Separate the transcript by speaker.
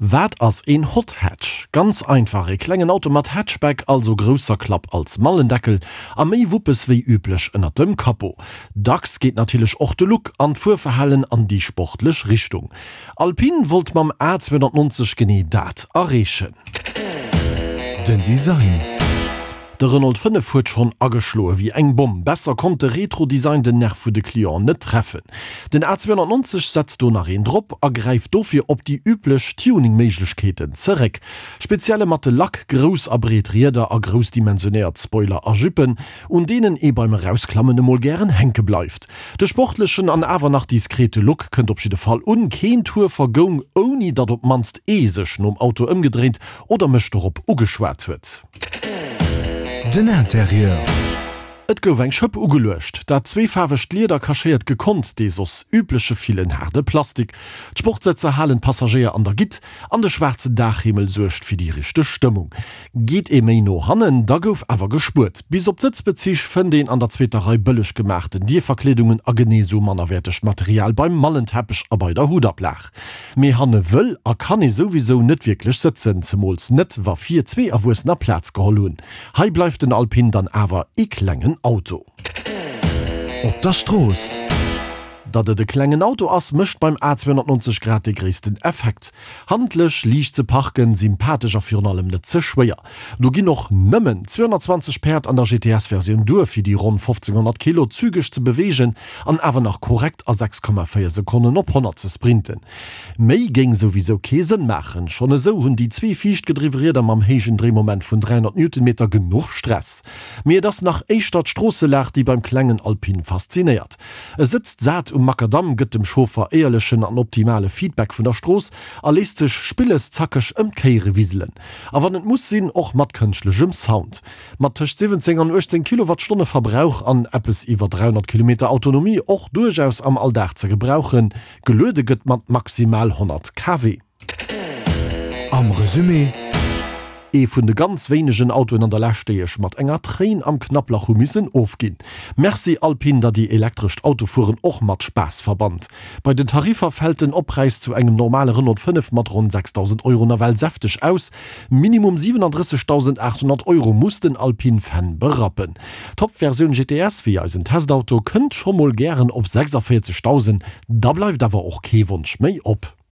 Speaker 1: Wat ass een Hot Hatch? Ganz einfach, e klengen Auto mat Hatchback, also grousser Klapp als Mallendeckel a méi Wuppes wéi üblech ënnert dem Capot. Dacks geet natierlech och de Look an d'Fuerverhalen an déi sportlech Richtung. Alpine wollt mam A290 genee dat erreechen.
Speaker 2: Den Design.
Speaker 1: De Renault 5 huet schonn ageschloe wéi eng Bomm. Besser konnt de Retro-Design den Nerv vu de Clienten net treffen. Den A290 setzt do nach een drop a gräift dofir op déi üblech Tuning-Méiglechkeeten zeréck. Spezielle matte Lack, grouss a breet Rieder a grouss dimensionéiert Spoiler a Juppen, un deenen ee beim Erausklammen emol gären hänke bleift. De sportlechen an awer nach diskrete Look kënnt op jidde Fall un. Keen Tour vergoung, ouni datt op d'mannst ee sech nom Auto ëmgedréint oder mech dorop ugeschwat huet.
Speaker 2: Den Interieur.
Speaker 1: Et gouf eng Schëpp ugeluecht. Dat zweefaarwegt Lieder kaschéiert gekonnt dee soss übleche villen haarde Plastik. D'Sportsëtzer halen d'Passagéier an der Gitt an de schwaarzen Daachhimmel suergt fir déi richteg Stëmmung. Geet ee méi no hannen, da gouf awer gespuert. Bis op d'Sëtzbezich fënnt een an der zweeter Rei bëlleg gemaachten Dierverkleedungen a genee sou mannerwäertegt Material beim Mallenteppech a bei der Huttablag. Mee hanne wëll a kann ee souwisou net wierklech sëtzen, zemools net wa vir zwee Erwuessener Plaz geholl hunn. Hei bleift den Alpine dann awer ee klengen Auto.
Speaker 2: Op der Strooss.
Speaker 1: Datt et e klengen Auto ass, mécht beim A 290 grad dee gréissten Effekt. Handlech, liicht ze parken, sympathesch a virun allem net ze schwéier. Do ginn och nëmmen 220 Päerd an der GTS-Versioun duer, fir déi ronn 1500 Kilo zügeg ze beweegen an awer nach korrekt a 6,4 Sekonnen op 100 ze sprinten. Méi géing souwisou kee Sënn maachen, schonn esou hunn déi zwee viischtgedriwwe Rieder mam héijen Dréimoment vun 300 Newtonmeter genuch Stress. Mee et ass nach éischter d'Stroosselag, déi beim klengen Alpine faszinéiert. E sëtzt sat um Makadamm, gëtt dem Chauffer éierlechen an optimale Feedback vun der Strooss a léisst sech spilles zackeg ëm d'Kéiere wiselen. A wann et muss sinn, och mat kënschtlechem Sound. Mat tëscht 17 an 18 Kilowattstonne Verbrauch an eppes iwwer 300 Kilometer Autonomie och duerchaus am Alldag ze gebrauchen. Geluede gëtt mat maximal 100 kW.
Speaker 2: Am Resumé.
Speaker 1: Ee vun de ganz wéinegen Autoen an der Lescht, déi ech mat enger Tréin am Knapplach hu missen ofginn. Merci Alpine, datt dir elektrescht Autofueren och mat Spaass verbannt. Bei den Tariffer fält den Oppräis zu engem normale Renault 5 mat ronn 6.000 Euro nawell säfteg aus. Minimum 37.800 Euro muss den Alpine Fan berappen. D'Top-Versioun GTS, wéi eisen Testauto, kënnt scho mol gären op 46.000, da bleift awer och kee Wonsch méi op.